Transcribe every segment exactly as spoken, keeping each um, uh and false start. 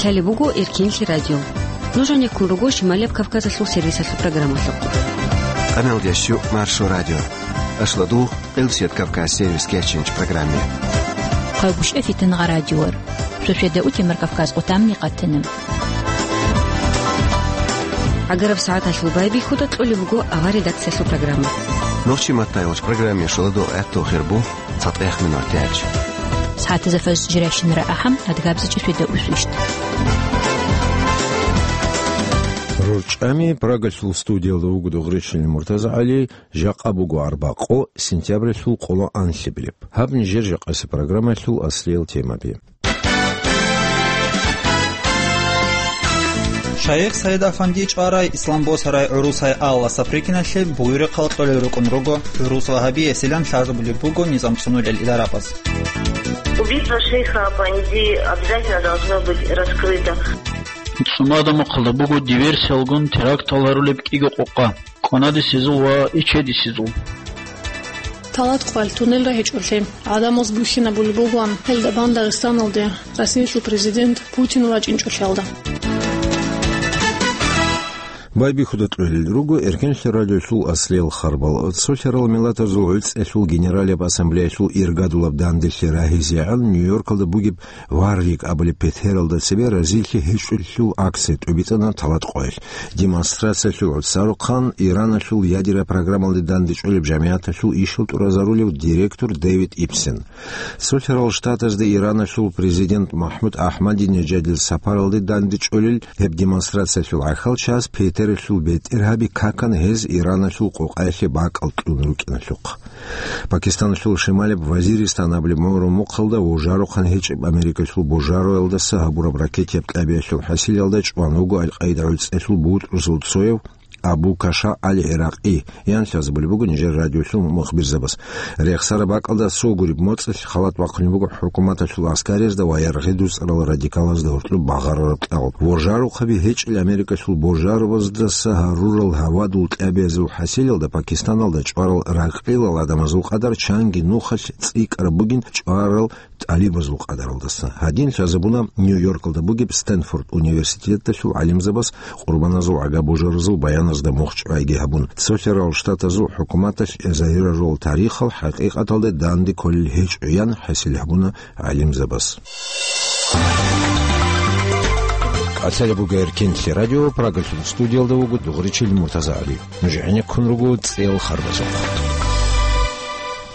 Лъалеб буго Эркенлъи радио. Нуж гьанеккун руго Шималияб Кавказалъул сервисалъул программалъухъ. Къаналдящу Маршо радио. Ашладу, Къилсият Кавказ сервис кечинч программе. Къайгушев Фитнагъа радиор. Шошеда утемар Кавказ къутамни къатана. Агараб сагӀаталъул байбихьуда кьолеб буго авар редакциялъул программа. Нохчи маттайолч программе шоладо гӀатту хирбу. ЦатӀехъ минуталъ. СагӀатазда фажр жирайщинара ахӀам, адгабзичӀеб шведа усвищт. РорчӀами Прагалъул студиялда вуго Дугъричилин МуртазагӀали, жакъа буго арбакъо, сентябралъул къоло анлъабилеб. Гьаб нижер жакъасеб программалъул аслиял темаби. Шайх Саид Афанди чӀварай, ислам босарай гӀурусай Алла Саприкиналъе буюрухъал кьолел рукӀун руго гӀурус вагьабиясилан лъазабулеб буго низам цӀунулел идарабаз. Убийство шейха Афанди обязательно должно быть раскрыто. ЦӀумада мухъалда буго диверсиялгун терактал гьарулеб кӀиго къокъа. Кванадисезул ва иччадисезул. Талат къвал туннелра гьечӀолъи гӀадамаз бухьинабулеб бугоан, гьелда бан Дагъистаналде Россиялъул президент Путин вачӀинчӀолъиялда. Байбихьуда кьолел руго Эркенлъи радиолъул аслиял харбал. Цолъарал миллатазул гӀуцӀиялъул генералияб ассамблеялъул иргадулаб данделъи рагьизегӀан Нью-Йоркалда бугеб Варвик абулеб петералда цебе разилъи гьечӀолъул акция тӀубитӀана талат къоялъ. Демонстрациялъул гӀуцӀарухъан Ираналъул ядераб программалде дандечӀолеб жамигӀаталъул ишал тӀуразарулев директор Дэвид Ипсен. Цолъарал Штатазда Ираналъул президент МахӀмуд Ахмадинежадил сапаралде дандечӀолел гьеб демонстрациялъул гӀахьалчияс петералъул бетӀергьаби какана гьез Ираналъул къокъаялъе бакӀал кьун рукӀиналъухъ. Пакистаналъул шималияб Вазиристан абулеб гӀумру мухъалда вужарухъан гьечӀеб Америкалъул божароялдаса гьабураб ракетияб кьабиялъул хӀасилалда чӀван вуго Аль-Къаида гӀуцӀиялъул бутӀрузул цояв Абу Каша Аль-ГӀиракъи, ян лъазабулеб буго нижер радиолъул мухбирзабаз. Рехсараб бакӀалда цо гуреб моцӀалъ халат бахъунеб буго хӀукуматалъул аскариязда ва яргъи дуцӀарал радикалазда гьоркьоб багъарараб кьал. Вожарухъаби гьечӀел Америкалъул божарабаздаса гьарурал гьавадул кьабиязул хӀасилалда Пакистаналда чӀварал ракьилал гӀадамазул къадар чанги нухалъ цӀикӀкӀараб бугин чӀварал тӀалибазул къадаралдаса. Гьадин лъазабуна Нью-Йоркалда бугеб Стэнфорд университеталъул гӀалимзабаз къурбаназул гӀага божаразул баяназда мухчӀвайги гьабун, Цолъарал Штатазул хӀукуматалъ загьирарул тарихал хӀакъикъаталда данде кколел гьечӀо, ян хӀасил гьабуна гӀалимзабаз. Къацалеб буго Эркенлъи радио, Прагалъул студиялда вуго Дугъричил МуртазагӀали. Нуж гӀенеккун руго цӀел харбазухъ.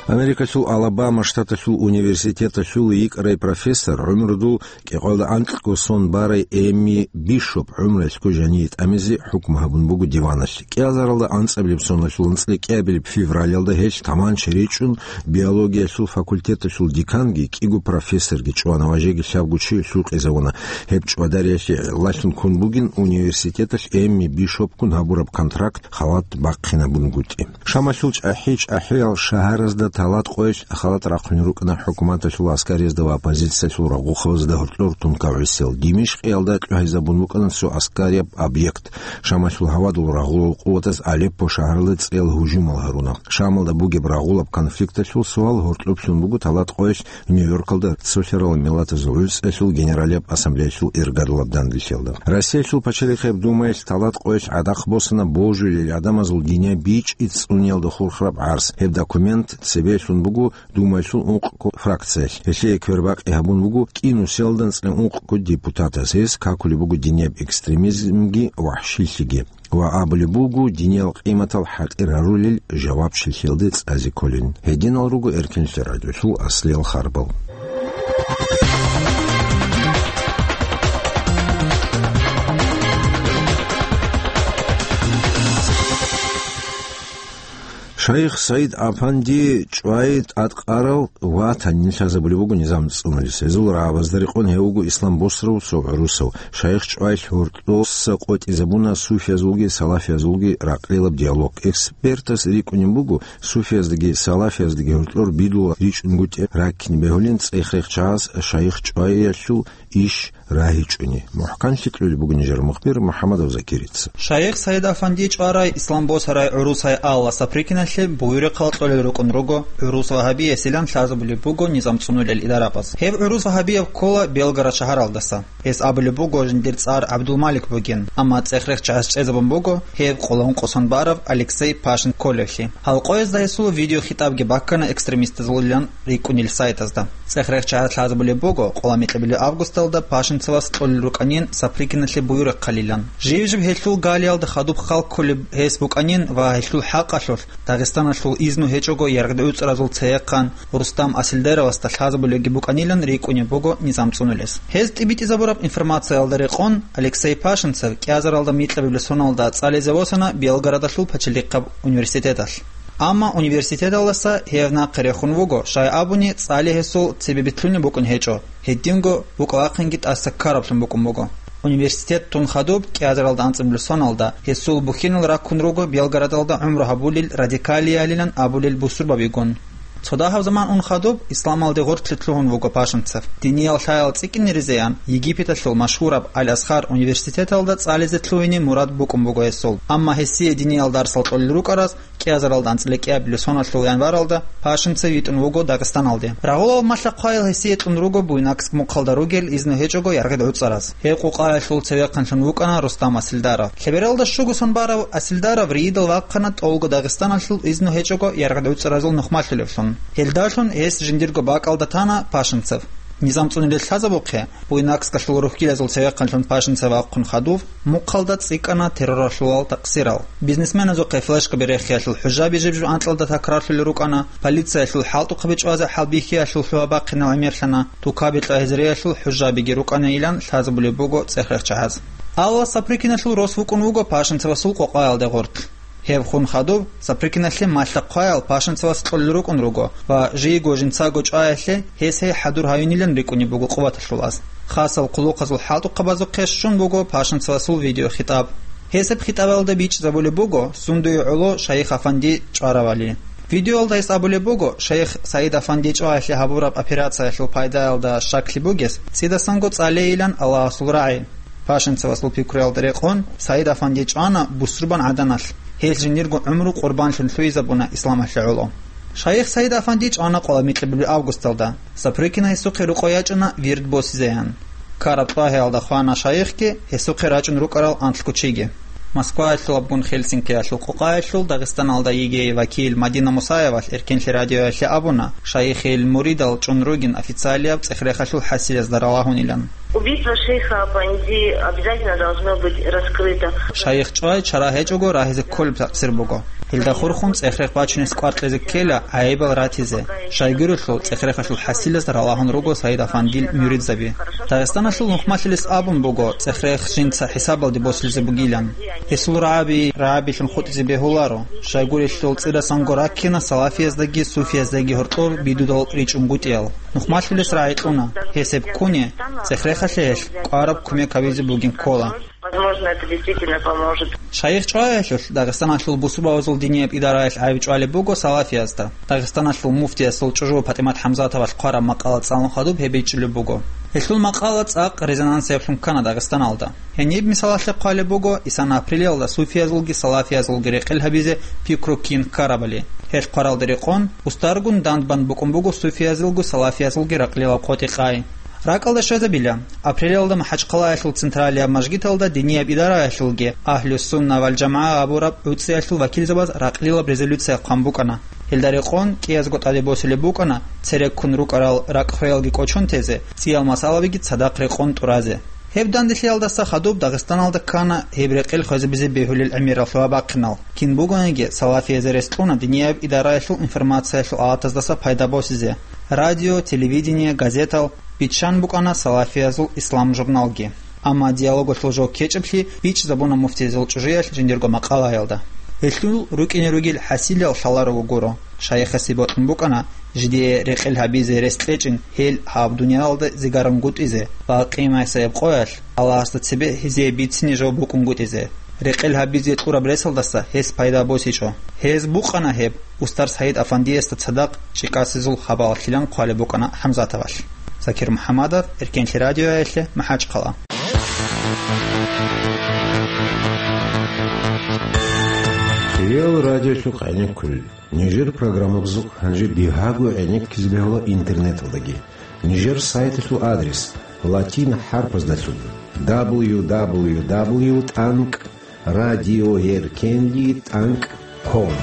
Америкалъул Алабама штаталъул университеталъул йикӀарай профессор, гӀумрудул кӀикъоялда анкьго сон барай Эми Бишоп гӀумруялъго жаниве тӀамизе хӀукму гьабун буго диваналъ. КӀиазаралда анцӀабилеб соналъул анцӀила кӀиабилеб февралалда гьелъ таманча речӀчӀун биологиялъул факультеталъул деканги кӀиго профессорги чӀвана ва жеги лъабго чи лъукъизавуна. Гьеб чӀвадариялъе гӀиллалъун ккун бугин университеталъ Эми Бишопгун гьабураб контракт халат бахъинабунгутӀи. Шамалъул чӀахӀи-чӀахӀиял шагьаразда талат къоялъ халат рахъунел рукӀана хӀукуматалъул гӀаскариязда ва оппозициялъул рагъухъабазда гьоркьор тункав гӀисел. Димишкъиялда тӀухӀизабун букӀана цо гӀаскарияб объект. Шамалъул гьавадул рагъулал къуватаз Алеппо шагьаралда цӀел гьужумал гьаруна. Шамалда бугеб рагъулаб конфликталъул суал гьоркьоб лъун буго талат къоялъ Нью-Йоркалда Цолъарал Миллатазул ГӀуцӀиялъул Генералияб Ассамблеялъул иргадулаб данделъиялда. Россиялъул Пачалихъияб Думаялъ талат къоялъ гӀадахъ босана божулел гӀадамазул динияб бичӀчӀи цӀуниялда хурхараб гӀарс. Гьеб документ цебе лъун буго Думаялъул ункъго фракциялъ. Гьелъие квербакъи гьабун буго кӀинусиялда анцӀила ункъго депутатас. Гьез какулеб буго динияб экстремизмги вахӀшилъиги. Ва абулеб буго, диниял къиматал хӀатӀир гьарулел жавабчилъиялде цӀазе кколин. Гьединал руго Эркенлъи радиолъул аслиял харбал. Шайх Саид Афанди чӀвай тӀадкъарал ва танин лъазабулеб буго низам цӀунулес. Гьезул рагӀабазда рекъон гьев вуго ислам босарав цо гӀурусав. Шайх чӀвай гьоркьоса къотӀизабуна суфиязулги салафиязулги ракълилаб диалог. Экспертас рикӀкӀунеб буго, суфияздаги салафияздаги гьоркьор бидула ричӀунгутӀи раккин бегьулин цӀех-рехчагӀаз шайх чӀваялъул иш рагьичӀони, мухӀканлъи кьолеб буго нижер мухбир МухӀаммадов Закирица. Шайх Саид Афанди чӀварай, ислам босарай гӀурусай Алла Сапрыкиналъе Буюрухъ кьолел рукӀун руго гӀурус вагьабиясилан лъазабулеб буго низам цӀунулел идарабаз. Гьеб гӀурус вагьабияб ккола Белгород шагьаралдаса. Гьес абулеб буго жиндир цӀар ГӀабдулмалик бугин, амма цӀех-рех чагӀаз чӀезабун буго гьев къоло ункъо сон бараб Алексей Пашин кколевлъи. Гьал къоязда гьесул видеохитӀабги баккана экстремистазулилан рикӀкӀунел сайтазда. ЦӀех-рех чагӀаз лъазабулеб буго къоло микьабилеб августалда Пашинцевас кьолел рукӀанин Сапрыкиналъе Буюрухъалилан. Жив-жив гьелъул галиялда хадуб хал кколеб гьес букӀанин ва гьелъул хӀакъалъулъ Дагъистаналъул изну гьечӀого яргъде уцӀаразул цеяхъан Рустам Асилдеровасда лъазабулебги букӀанилан рикӀкӀунеб буго низам цӀунулес. Гьез тӀибитӀизабураб информациялда рекъон, Алексей Пашинцев кӀиазаралда микьабилеб соналда цӀализе восана Белгородалъул пачалихъаб университеталъ. Амма университеталдаса гьев нахъе рехун вуго, щай абуни, цӀали гьесул цебе битлъунеб букӀун гьечӀо, гьединго букӀа-вахъинги тӀаса ккараблъун букӀун буго. Университет тун хадуб, кӀиазаралда анцӀабилеб соналда, гьесул бухьинал раккун руго Белгородалда гӀумру гьабулел радикалиялилан абулел бусурбабигун. Цо дагьаб заман ун хадуб, исламалде гъорлъе лъугьун вуго Пашинцев. Диниял лъаял цӀикӀкӀиниризеян Египеталъул машгьураб Аль-Азхар университеталда цӀализе лъугьине мурад букӀун буго гьесул. Амма гьесие диниял дарсал кьолел рукӀараз кӀиазаралда анцӀила кӀиабилеб соналъул январалда Пашинцев йитӀун вуго Дагъистаналде. Рагъулал малъа-хъваял гьесие кьун руго Буйнакск мухъалда ругел изну гьечӀого яргъид гӀуцӀараз. Гьеб къукъаялъул цевехъанлъун вукӀана Рустам Асилдаров. Лъебералда щуго сон барав Асилдаров РИИ-далъ вахъана тӀолго Дагъистаналъул изну гьечӀого яргъид гӀуцӀаразул нухмалъулевлъун. Гьелдалъун гьес жиндирго бакӀалда тана Пашинцев. Низам цӀунулел лъазабухъе, Буйнакскалъул рухьилазул цевехъанлъун Пашинцев вахъун хадуб, мухъалда цӀикӀкӀана терроралъулал такъсирал. Бизнесменазухъе флешкаби рехиялъул хӀужаби жиб-жиб анкьалда такрарлъулел рукӀана, полициялъул хӀалтӀухъаби чӀвазе хӀалбихьиялъул лъугьа-бахъинал гӀемерлъана, тукаби-кьвагьазреялъул хӀужабиги рукӀанайилан лъазабулеб буго цӀех-рех чагӀаз. Алла Сапрыкиналъул рос вукӀун вуго Пашинцевасул къокъаялде гъорлъ. Гьеб хун хадуб, Сапрыкиналъе малъа-хъваял Пашинцевас кьолел рукӀун руго ва жийго жинцаго чӀваялъе гьес гьей хӀадур гьавинилан рикӀкӀунеб буго къуваталъул аз. Хасал хъулухъазул хӀалтӀухъабазухъе щун буго Пашинцевасул видеохитӀаб. Гьесеб хитӀабалда бичӀчӀизабулеб буго сундуе гӀоло Шайих Афанди чӀваравали. Видеоялда гьес абулеб буго, Шайих Саид Афанди чӀваялъе гьабураб операциялъул пайдаялда щаклъи бугес, цӀидасанго цӀалейилан Аллагьасул рагӀи. Пашинцевасул пикруялда рекъон, Саид Афанди чӀвана бусурбан гӀаданалъ, гьел жиндирго гӀумру къурбанлъун лъугьизабуна исламалъе гӀоло. Шайих Саид Афанди чӀвана къоло микьабилеб августалда, Сапрыкина гьесухъе рукъо ячӀана вирд босизеян. Ккараб тӀагьаялда хвана шайихги, гьесухъе рачӀун рукӀарал анлъго чиги. Москваялъул абгун Хельсинкиялъул къокъаялъул Дагъистаналда йигей вакил Мадина Мусаевалъ Эркенлъи радиоялъе абуна, шайихил муридал чӀун ругин официалияб цӀех-рехалъул хӀасилазда ралагьунилан. Убийство шейха Афанди обязательно должно быть раскрыто. Шайих чӀвай чара гьечӀого рагьизе кколеб такъсир буго. Гьелда хурхун цӀех-рех бачунес кӀвар кьезе ккела гӀайибал ратизе. Щайгурелъул цӀех-рехалъул хӀасилаз ралагьун руго Саид Афандил муридзаби. Дагъистаналъул нухмалъилес абун буго цӀех-рех жинца хӀисабалде босулзе бугилан. Гьесул рагӀаби, рагӀабилъун хутӀизе бегьуларо. Щайгурелъул цӀидасанго раккина салафияздаги суфияздаги гьоркьор бидудал ричӀунгутӀиял. Нухмалъулес рагӀи кьуна, гьес гьеб ккуне, цӀех-рехалъе гьелъ кӀвараб кумек гьабизе бугин ккола. Возможно, это действительно поможет. Шайих чӀваялъулъ Дагъистаналъул бусурбабазул динияб идараялъ гӀайиб чӀвалеб буго салафиязда. Дагъистаналъул муфтиясул чӀужу ПатӀимат ХӀамзатовалъ хъвараб макъала цӀалун хадуб гьеб бичӀчӀулеб буго. Гьелъул макъала цӀакъ резонансиблъун ккана Дагъистаналда. Гьениб мисалалъе хъвалеб буго, исан апрелиялда суфиязулги салафиязулги рекъел гьабизе пикру кин ккарабали. Гьелъ хъваралда рекъон, устаргун дандбан букӀун буго суфиязулгу салафиязулги ракълилаб къотӀи-къай. РакӀалда щвезабила, апрелиялда МахӀачхъалаялъул централияб мажгиталда динияб идараялъулги Агьлу-Сунна вал-ЖамагӀа абураб гӀуцӀиялъул вакилзабаз ракълилаб резолюция хъван букӀана. Гьелда рекъон кӀиязго тӀаде босулеб букӀана цереккун рукӀарал ракӀ-хвеялги кӀочон тезе, цӀиял масъалабиги цадахъ рекъон тӀуразе. Гьеб данделъиялдаса хадуб Дагъистаналда ккана гьеб рекъел хвезабизе бегьулел гӀемерал лъугьа-бахъинал. Кин бугониги, салафиязе рес кьуна динияб идараялъул информациялъул алатаздаса пайда босизе. Радио, телевидение, газетал биччан букӀана «Салафиязул ислам» журналги. Амма диалогалъул жо ккечӀеблъи бичӀчӀизабуна муфтиязул чӀужуялъ жиндирго макъалаялда. Гьелъул рукӀине ругел хӀасилал лъаларого гуро. Шайихасе бокьун букӀана, жидее рекъел гьабизе рес кьечӀин гьел гьаб дуниялалда зигарангутӀизе ва къимасаяб къоялъ Аллагьасда цебе гьезие бицине жо букӀунгутӀизе. Рекъел гьабизе кьураб ресалдаса гьес пайда босичӀо. Гьез букъана гьеб, устар Саид Афандиясда цадахъ чӀикӀасезул хабалалъилан хъвалеб букӀана ХӀамзатовалъ. Закир МухӀаммадов, Эркенлъи радиоялъе, МахӀачхъала. Хириял радиолъухъ гӀенеккулел. Нижер программабазухъ гьанже бигьаго гӀенеккизе бегьула интернеталдаги. Нижер сайталъул адрес латин хӀарпаздалъун: дабл ю дабл ю дабл ю тӀанкӀ радиоэркенлъи тӀанкӀ ком.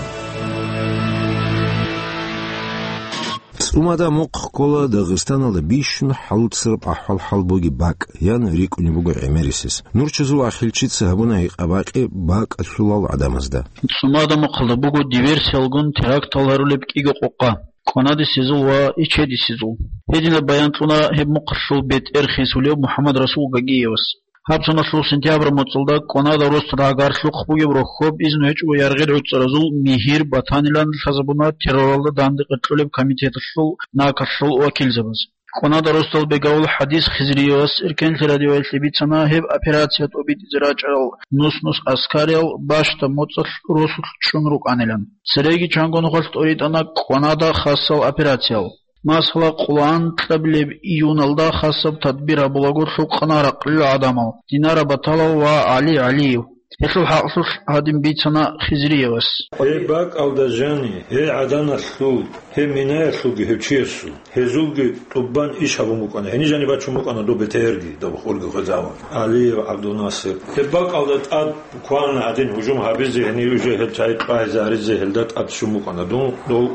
ЦӀумада мухъ ккола Дагъистаналда бищун хӀалуцараб ахӀвал-хӀал бугеб бакӀ, ян рикӀкӀунеб буго гӀемерисез. Нурчазул ахилчица гьабуна гьикъа-бакъи бакӀалъулал гӀадамазда. ЦӀумада мухъалда буго диверсиялгун терактал гьарулеб кӀиго къокъа: кӀванадисезул ва ичедисезул. Гьединаб баян кьуна гьеб мухъалъул бетӀер хисулев МухӀаммад-Расул Гагиевас. Гьаб соналъул сентябрь моцӀалда кӀванада росдал гӀагарлъухъ бугеб рохьоб изну гьечӀого яргъел гӀуцӀаразул мигьир батанилан лъазабуна терроралда данде къеркьулеб комитеталъул накалъул вакилзабаз. КӀванада росдал бегавул ХӀадис Хизриевас Эркенлъи радиоялъе бицана гьеб операция тӀобитӀизе рачӀарал нус-нус аскариял бащдаб моцӀалъ росулъ чӀун рукӀанилан. Цереги чанго нухалъ тӀоритӀана кӀванада хасал операциял. Масала, къоло анкьабилеб июналда хасаб тадбир гьабулаго лъукъана ракълил гӀадамал Динара Баталов ва ГӀали ГӀалиев. Гьелъул хӀакълъулъ гьадин бицана Хизриевас. Гьеб бакӀалда жани, гьей гӀаданалъул, гьей минаялъулги гьев чиясул, гьезулги тӀубан иш гьабун букӀана. Гьениб жани бачун букӀана доб БТРги, доб хурги хвезавун. ГӀалиев ГӀабдулнасир. Гьеб бакӀалда тӀад буквально гьадин гьужум гьабизе, гьенив уже гьел чагӀи къвайзаризе гьелда тӀад щун букӀана. Дун дов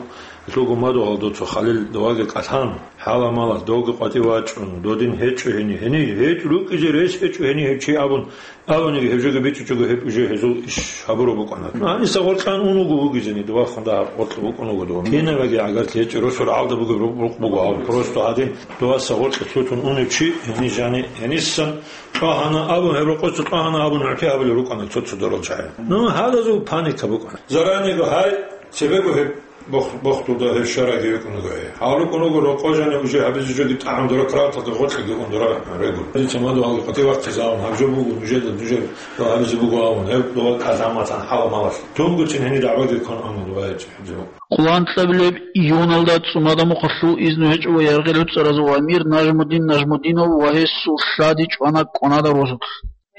Лъугьун мадугьал дуца, Халил, доваги кӀалъан, хӀала-мала, довги къватӀив вачӀун, додин гьечӀо гьени, гьени гьечӀ, рукӀизе рес гьечӀо гьени гьев чи абун, абуниги гьев жоги бичӀчӀичӀого гьеб уже гьезул иш гьабураб букӀана. Гьаниса гъоркьан ун вуго вугизени, дова хунда гъоркьа букӀун вуго дова. Кинабаги гӀагарлъи гьечӀо, росул гӀалда бугеб рукъ буго гьав, просто гьадин доваса гъоркье лъутун унев чи, гьени жани, гьенисан кьвагьана абун, гьеб рокъоса кьвагьана абун нугӀти гьабулел рукӀана цо-цо дорал чагӀи. Ну, гьадазул паника букӀана. Заранего гьай, цебего гьеб Бох-, бохтуда гьеб шараги рукӀун руго гьей. Гьал рукӀун руго рокъо жани уже гьабизе жоги тӀагӀам дора краталда гъоркьаги ундура регун. Дица мадугьалги къватӀив вахъизавун, гьаб жо буго нужеда, нужер дова гьабизе буго абун, гьеб дова кӀалъаматан хӀала-малалъ. Тунгуцин гьени дагӀбаги ккун амма дова гьечӀеб. Къоло анкьабилеб июналда ЦӀумада мухъалъул изну гьечӀого яргъел гӀуцӀаразул амир Нажмудин Нажмудинов ва гьесул лъади чӀвана кӀванада росулъ.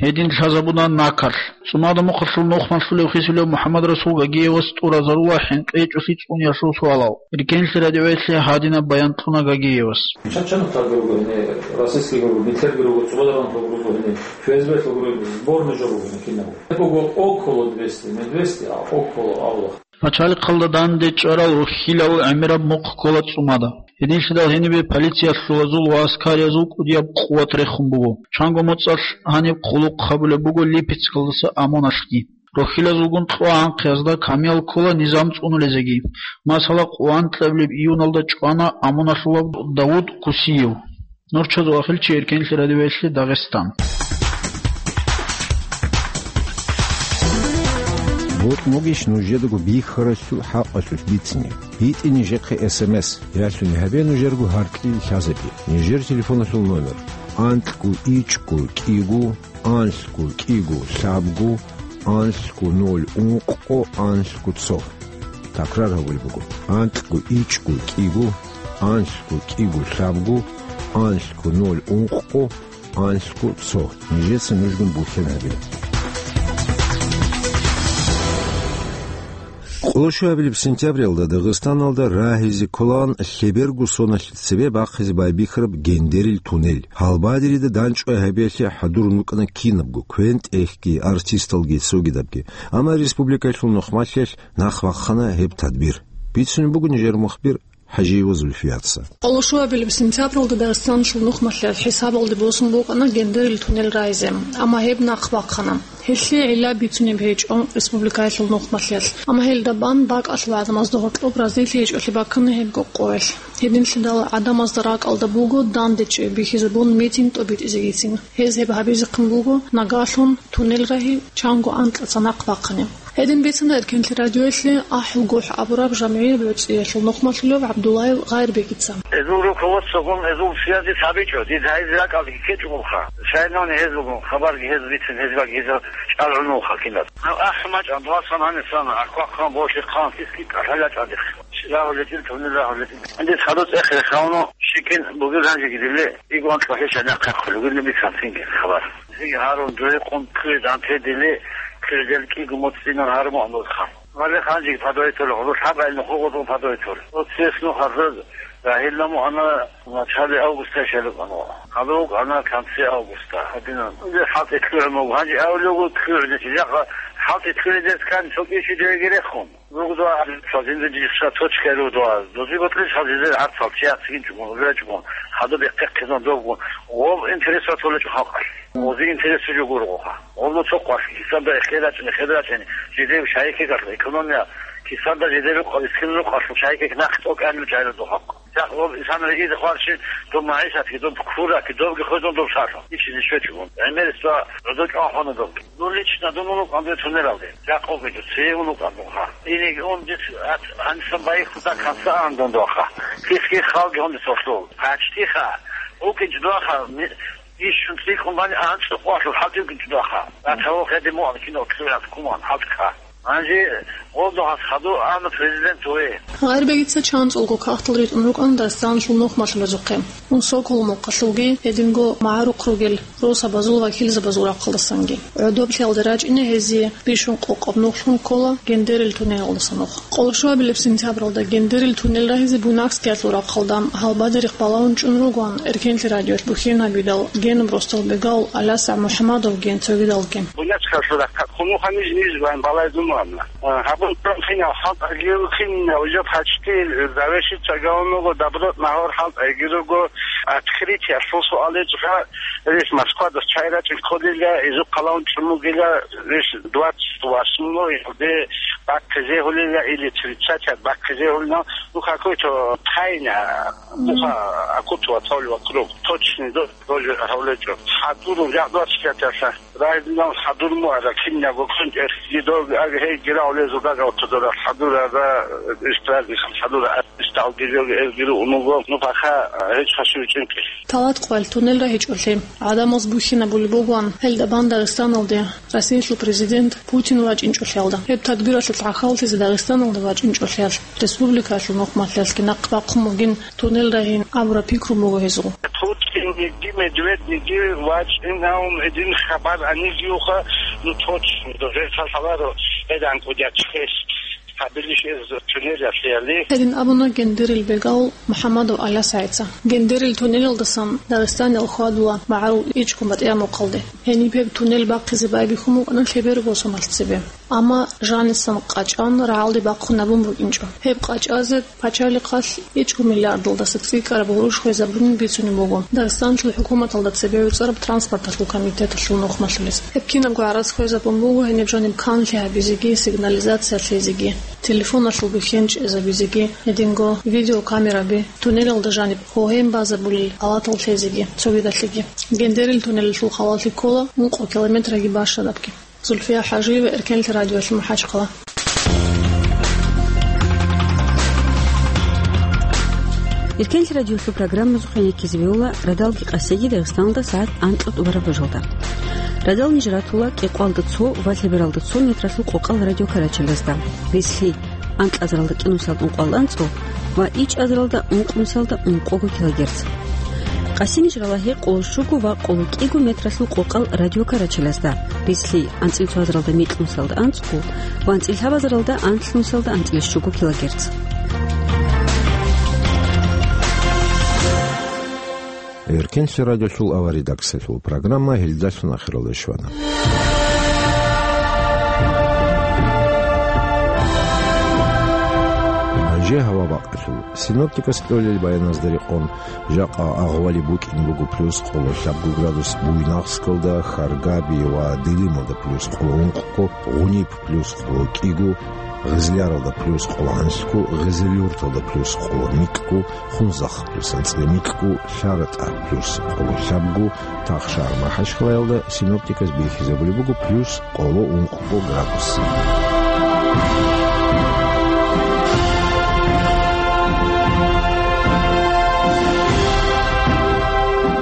Гьедин лъазабуна накалъ. ЦӀумада мухъалъул нухмалъулев хисулев МухӀаммад-Расул Гагиевас тӀуразарула хӀинкъи гьечӀолъи цӀуниялъул суалал. Эркенлъи радиоялъе гьадинаб баян кьуна Гагиевас. Чачанаталги руго гьенир, расистги руго, гитлерги руго, цӀубадаранлъун руго гьенир, ФСБлъун руго, сборный жо руго гьенир кинабго. Гьеб буго около двести, не двести, а около абула. Пачалихъалда данде чӀварал рухьилал гӀемераб мухъ ккола ЦӀумада. Гьединлъидал гьенибе полициялъулазул ва аскариязул кӀудияб къуват рехун буго. Чанго моцӀалъ гьаниб хъулухъ гьабулеб буго Липецкалдаса ОМОНалъги. Рухьилазулгун кьвагӀанхъиязда камиял ккола низам цӀунулезеги. Масала, къоло анкьабилеб июналда чӀвана ОМОНалъулав Давуд Кусиев. Нурчазул ахилчи, Эркенлъи радиоялъе, Дагъистан. Бокьмугищ нужедаго бихьаралъул хӀакъалъулъ бицине? БитӀе нижехъе СМС, ялъуни гьабе нужерго гьаркьил лъазаби. Нижер телефоналъул номер: анлъго ичӀго кӀиго, анлъго кӀиго лъабго, анлъго ноль ункъго, анлъго цо. Такрар гьабулеб буго: анлъго ичӀго кӀиго, анлъго кӀиго лъабго, анлъго ноль ункъго, анлъго цо. Нижеца нужгун буцен гьабила. Къоло щуабилеб сентябралда Дагъистаналда рагьизе кколаан лъеберго соналъ цебе бахъизе байбихьараб Гендерил туннель. Гьалбадерида дандчӀвай гьабиялъе хӀадурун рукӀана кинабго, квен-тӀехьги, артисталги, цогидабги. Амма республикалъул нухмалъиялъ нахъ бахъана гьеб тадбир. Бицунеб буго нижер мухбир ХӀажиева Зульфияца. Къоло щуабилеб сентябралда Дагъистаналъул нухмалъиялъ хӀисабалде босун букӀана Гендерил туннель рагьизе, амма гьеб нахъ бахъана. Гьелъие гӀилла бицунеб гьечӀо республикаялъул нухмалъиялъ, амма гьелда бан бакӀалъул гӀадамазда гьоркьоб разилъи гьечӀолъи баккана гьеб къоялъ. Гьединлъидал гӀадамазда ракӀалда буго данде чӀей бихьизабун митинг тӀобитӀизегицин. Гьез гьеб гьабизехъин буго нагагьлъун туннель рагьи чанго анкьаца нахъ бахъани. Гьедин бицана Эркенлъи радиоялъе АхӀулгохӀ абураб жамгӀияб гӀуцӀиялъул нухмалъулев ГӀабдуллаев Гъайрбегица. Гьезул руководствогун гьезул связи лъабичӀо, дида гьезул ракӀалде ккечӀогоха. Шайнани гьезулгун хабарги гьез бицин, гьезбаги гьезул чӀалгӀунуха кинад. Гьав ахӀи мачӀан, дуасан гьанисан, ахъвахъан, бошихъан, киски кӀалъалячӀадихъ. Рагьулетил, тунел рагьулетил. Гьанде хадуц эхире хавно, Чикин бугел гьанжеги диле, игван лъухӀищ гьанахъе хъулугел нуби кантинги хабар. Зиги гьарун дугьекъун ккуе данте диле, ккуедел кӀиго моцӀинан гьармуан нурха. Вале ханжеги падойтур, гъодо лъабгӀел нуху гъодо падойтур. Оцес нухаза рагьилла мугьана начале августа шалукъано. Хадук ана конце августа. Гьадинан. Узе хӀалтӀи лъугӀун буго. Гьанже авлугу лъугӀунищ. Жакъа хӀалтӀи лъугӀидес ккани цо кӀищи дугӀеги рехун. Ругдуа, цо жинда жиса точка ругдуа. Дози ботлъи цо жинда гӀарцал чи яцигин чӀугун, речӀгун, хадуб бехъехъизан довгун. Гъоб интерес ратулечӀо халкъалъ. Гъози интерес жо гургъуха. Гъоло цо къвалъ, кисанда эхел рачӀни, эхел рачӀни. Жидев шайихе галъ, экономия, кисанда жидев къвалъ, искин рукъалъ, шайихе нахъ тӀокӀанил чӀайла духъа. Жакъ гъоб инсан ригизе хварщин, доб магӀишатги, доб кураки, добги хвезун доб шалъун. Ичизе щвечӀун. ГӀемерисда гӀодо чӀван хвана добги. Ну, лично дун унукъан дун тунелалде. Жакъ гъобги дун, цее унукъан дун ха. Инеги он дис ат-, гьанисан байихъуда канса ан дун дуаха. Кисги халги гьон дис ошлул. Пачтиха. УкӀинчӀ дуаха. Ми-, ишшун цӀикӀкӀун бани анцӀукъуалъул хӀалтӀи укӀинчӀ дуаха. Ратаво хеде муан кино ксурат куман хӀалтӀха. Гьанже гъолдо гьас хадур ана президент ве. Гъайрбегица чанцӀулго кагътал ритӀун рукӀана Дагъистаналъул нухмалъулазухъе. Ун Сокол мухъалъулги гьединго магӀарухъ ругел росабазул вакилзабазул рахъалдасанги. ГӀодоблъиялда рачӀине гьезие бищун къокъаб нухлъун ккола Гендерил тунелалдаса нух. Къоло щуабилеб сентябралда Гендерил тунел рагьизе Буйнакскиялъул рахъалда гьалбадерихъ балагьун чӀун ругоан, Эркенлъи радиоялъ бухьин гьабидал, генаб росдал бегав Аляса МухӀамадовги цогидалги. Буйнакскиялъул рахъалъ хъунухъа ниж-ниж ван балайзумуанна. Гьабун хинав хӀалтӀаги, хинав жо пачтил, завешица гавного доброт нагьор хӀалтӀайги руго, открытиялъул суале чӀха, рес Москвада чай рачӀин кколила, изухъ къалаун чӀун бугила, рес двадцать восьмой де бахъизе гьулила или тридцать бахъизе гьулина, ну, какой-то тайна, муха акутуа цавли вокруг, точный до-, тоже гьавлечӀо. ХӀадурун, я двадцать пять аша. Райдинал хадур муара, кинабго кунчӀехъги дог, аг гьей гирав лезу дагав тодорал хадура, ра, эстрадникал хадура, эсталги дог, эр гиру унуго, ну, паха, гьеч хашив чӀинкӀи. Талат къвел тунел рагьичӀолъи, гӀадамаз бухьинабулеб бугоан, гьелда бан Дагъистаналде Россиялъул президент Путин вачӀинчӀолъиялда. Гьеб тадбиралъулъ гӀахьаллъизе Дагъистаналде вачӀинчӀолъиялъ, республикаялъул нухмалъиялъги нахъ бахъун бугин тунел рагьин абураб пикру буго гьезул. Путинниги Медведниги вачӀинавун гьедин хабар анигиуха, ну, точно, дозер лъаларо, гьедан кӀудият чехь гьабилищ эз тунелалъе. Гьедин абуна Гендерил бегав МухӀамадов Алясайца. Гендерил тунелалдасан Дагъистанил хьвадула магӀарул ичӀго батӀияб мухъалде. Гьениб гьеб тунел бахъизе байбихьун букӀана лъеберго соналъ цебе. Амма жанисан къачӀан рагӀалде бахъун абун букӀинчӀо. Гьеб къачӀазе пачалихъалъ ичӀго миллиардалдаса цӀикӀкӀараб гъурущ хвезабунин бицунеб буго Дагъистаналъул хӀукуматалда цебе гӀуцӀараб транспорталъул комитеталъул нухмалъулез. Гьеб кинабго гӀарац хвезабун буго гьениб жаниб канлъи гьабизеги, сигнализация лъезеги, телефоналъул бухьен чӀезабизеги, гьединго видеокамераби, туннелалда жаниб гьогьен базабулел алатал лъезеги, цогидалъеги. Гендерил туннелалъул халалъи ккола ункъо километраги бащадабги. Зульфия ХӀажиева, Эркенлъи радиоялъ, МахӀачхъала. Эркенлъи радиоялъул программазухъе ккезе бегьула радалги къасиги Дагъистаналда сагӀат анкьа тӀубараб бажалда. Радал ниж ратула кӀикъоялда цо ва лъебералда цо метралъул къокъал радиокарачалазда. Бицлъи анкьазаралда кӀинусалда ункъоялда анцӀго ва ичӀазаралда ункънусалда ункъого килогерц. Къасимиш ралагьи къоло щуго ва къоло кӀиго метралъул къокъал радиокарачалазда, бицлъи анцӀил цоазаралда микьнусалда анцӀго ва анцӀил лъабазаралда анлънусалда анцӀил щуго килогерц. Эркенлъи радиолъул аваридаксалъул программа гьелдалъун ахиралде щвана. Гьанже гьава бакъалъул. Синоптикас кьолел баяназда рекъон, жакъа агъвали букӀин буго плюс къоло лъабго градус Буйнакскалда, Харгаби ва Дилималда плюс къоло ункъго, Гъуниб плюс къоло кӀиго, Гъизляралда плюс къоло гьанлъго, Гъизилюрталда плюс къоло микьго, Хунзахъ плюс анцӀила микьго, ЛъаратӀа плюс къоло лъабго, Тахшар МахӀачхъалаялда синоптиказ бихьизабулеб буго плюс къоло ункъго градус.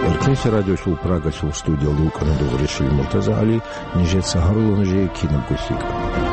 Эркенлъи радиолъул Прагалъул студиялда вукӀана дугӀрищали МуртазагӀали, нижеца гьарула нужее кинабго лъикӀаб.